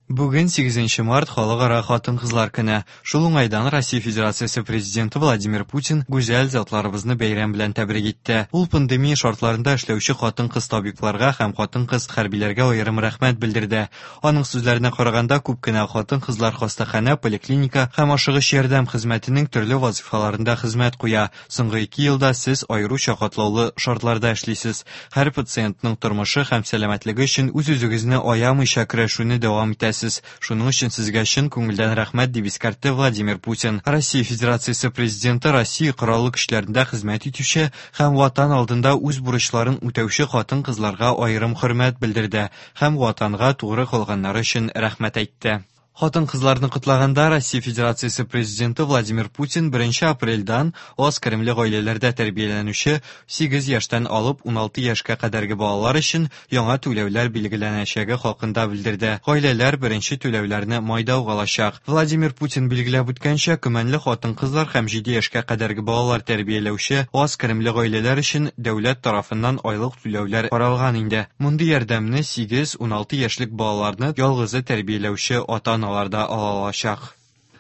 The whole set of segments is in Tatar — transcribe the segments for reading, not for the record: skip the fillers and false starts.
Бүген 8 март Халыкара хатын-кызлар көне. Шул уңайдан Россия Федерациясе Президенты Владимир Путин гүзәл затларыбызны бәйрәм белән тәбрик итте. Ул пандемия шартларында эшләүче хатын-кыз табибларга һәм хатын-кыз хәрбиләргә аерым рәхмәт белдерде. Аның сүзләренә караганда, күп кенә хатын-кызлар хастаханә, поликлиника һәм ашыгыч ярдәм хезмәтенең төрле вазыйфаларында хезмәт куя. Соңгы ике елда сез аеруча катлаулы шартларда эшлисез. Һәр пациентның тормышы һәм сәламәтлеге өчен үз-үзегезне аямыйча көрәшүне дәвам итәсез. Шуның өчен сезгә чын күңелдән рәхмәт, дип искәртте Владимир Путин. Россия Федерациясе Президенты Россия Кораллы Көчләрендә хезмәт итүче һәм Ватан алдында үз бурычларын үтәүче хатын-кызларга аерым хөрмәт белдерде һәм Ватанга тугры калганнары өчен рәхмәт әйтте. Хатын-кызларны котлаганда Россия Федерациясе Президенты Владимир Путин 1 апрельдән аз керемле гаиләләрдә тәрбияләнүче 8 яшьтән алып 16 яшькә кадәрге балалар өчен яңа түләүләр билгеләнәчәге хакында белдерде. Гаиләләр беренче түләүләрне майда ук алачак. Владимир Путин билгеләп үткәнчә, көмәнле хатын-кызлар һәм 7 яшькә кадәрге балалар тәрбияләүче аз керемле гаиләләр өчен дәүләт тарафыннан айлык түләүләр каралган инде. Мондый ярдәмне 8-16 яшьлек балаларны ялгызы тәрбияләүче ата-аналар да ала алачак.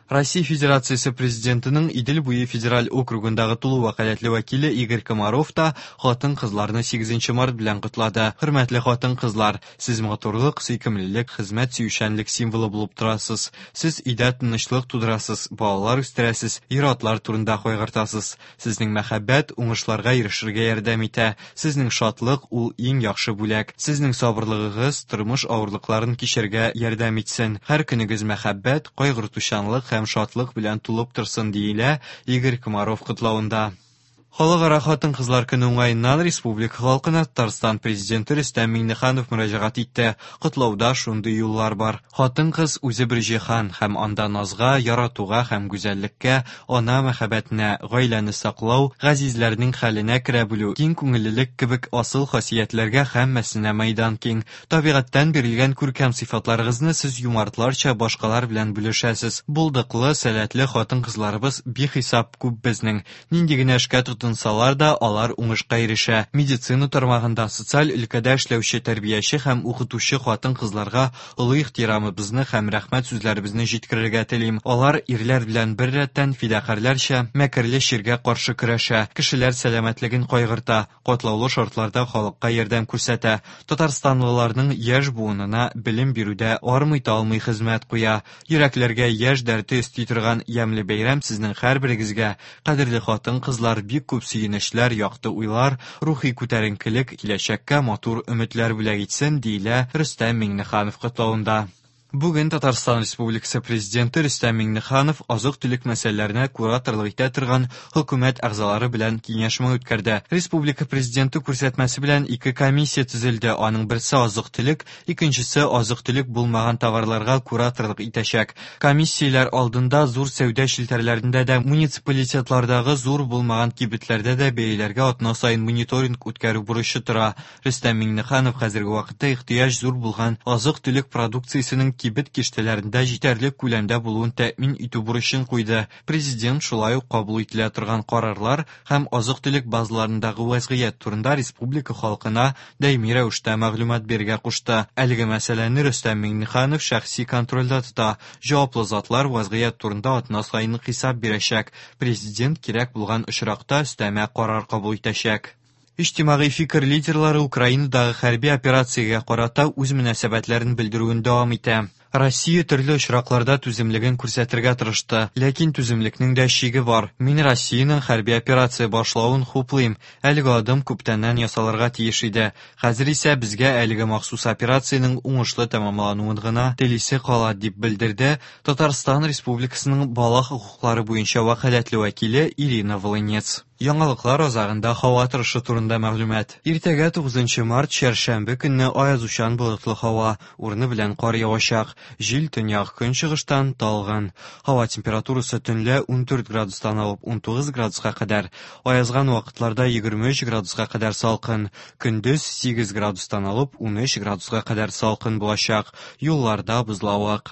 Россия Федерациясе Президентының Идел буе федераль округындагы тулы вәкаләтле вәкиле Игорь Комаров та хатын-кызларны 8 март белән котлады. Хөрмәтле хатын-кызлар, сез матурлык, сөйкемлелек, хезмәт сөючәнлек символы булып торасыз. Сез өйдә тынычлык тудырасыз, балалар үстерәсез, ир-атлар турында кайгыртасыз. Сезнең мәхәббәт уңышларга ирешергә ярдәм итә. Сезнең шатлык ул иң яхшы бүләк. Сезнең сабырлыгыгыз тормыш авырлыкларын кичәргә ярдәм итсен. Һәр көнегез мәхәббәт, кайгыртучанлык һәм шатлык белән тулып торсын, диелә Игорь Комаров котлавында. Халыкара хатын-кызлар көне уңаеннан республика халкына Татарстан Президенты Рөстәм Миңнеханов мөрәҗәгать итте. Котлауда шундый юллар бар. Хатын-кыз үзе бер җиһан һәм анда назга, яратуга һәм гүзәллеккә, ана мәхәббәтенә, гаиләне саклау, газизләрнең хәленә керә белү, киң күңеллелек кебек асыл хасиятләргә һәммәсенә мәйдан киң. Табигатьтән бирелгән күркәм сыйфатларыгызны сез юмартларча башкалар белән бүлешәсез. Булдыклы, сәләтле хатын-кызларыбыз бихисап күп безнең. Нинди генә эшкә тотынсалар да, алар уңышка ирешә. Медицина тармагында, социаль өлкәдә эшләүче тәрбияче һәм укытучы хатын-кызларга олы ихтирамыбызны һәм рәхмәт сүзләребезне җиткерергә телим. Алар ирләр белән беррәттән фидакарьләрчә мәкерле чиргә каршы көрәшә, кешеләр сәламәтлеген кайгырта, катлаулы шартларда халыкка ярдәм күрсәтә, татарстанлыларның яшь буынына белем бирүдә армый-талмый хезмәт куя. Йөрәкләргә яшь дәрте өсти торган ямьле бәйрәм сезнең һәрберегезгә, кадерле хатын-кызлар, бик күп сөенечләр, якты уйлар, рухи күтәренкелек, киләчәккә матур өметләр бүләк итсен, диелә Рөстәм Миңнеханов котлавында. Бүген Татарстан Республикасы Президенты Рөстәм Миңнеханов азык-төлек мәсьәләләренә кураторлык итә торган хөкүмәт әгъзалары белән киңәшмә үткәрде. Республика Президенты күрсәтмәсе белән ике комиссия төзелде, аның берсе азык-төлек, икенчесе азык-төлек булмаган товарларга кураторлык итәчәк. Комиссияләр алдында зур сәүдә челтәрләрендә дә, муниципалитетлардагы зур булмаган кибетләрдә дә бәяләргә атна саен мониторинг үткәрү бурычы тора. Рөстәм Миңнеханов хәзерге вакытта ихтыяҗ зур булган азык-төлек продукциясенең кибет киштәләрендә җитәрлек күләмдә булуын тәэмин итү бурычын куйды. Президент шулай ук кабул ителә торган карарлар һәм азык-төлек базаларындагы вәзгыять турында республика халкына даими рәвештә мәгълүмат бирергә кушты. Әлеге мәсьәләне Рөстәм Миңнеханов шәхси контрольдә тота. Җаваплы затлар вәзгыять турында атна саен хисап бирәчәк. Президент кирәк булган очракта өстәмә карар кабул итәчәк. Иҗтимагый фикер лидерлары Украинадагы хәрби операциягә карата үз мөнәсәбәтләрен белдерүен дәвам итә. Россия төрле очракларда түземлеген күрсәтергә тырышты, ләкин түземлекнең дә чиге бар. Мин Россиянең хәрби операция башлавын хуплыйм. Әлеге адым күптәннән ясалырга тиеш иде. Хәзер исә безгә әлеге махсус операциянең уңышлы тәмамлануын гына телисе кала, дип белдерде Татарстан Республикасының бала хокуклары буенча вәкаләтле вәкиле Ирина Волынец. Яңалыклар азагында һава торышы турында мәгълүмат. Иртәгә 9 март чәршәмбе көнне аязучан болытлы һава, урыны белән кар явачак. Җил төньяк көнчыгыштан талгын. Һава температурасы төнлә 14 градустан алып 19 градуска кадәр, аязган вакытларда 23 градуска кадәр салкын. Көндез 8 градустан алып 13 градуска кадәр салкын булачак. Юлларда бозлавык.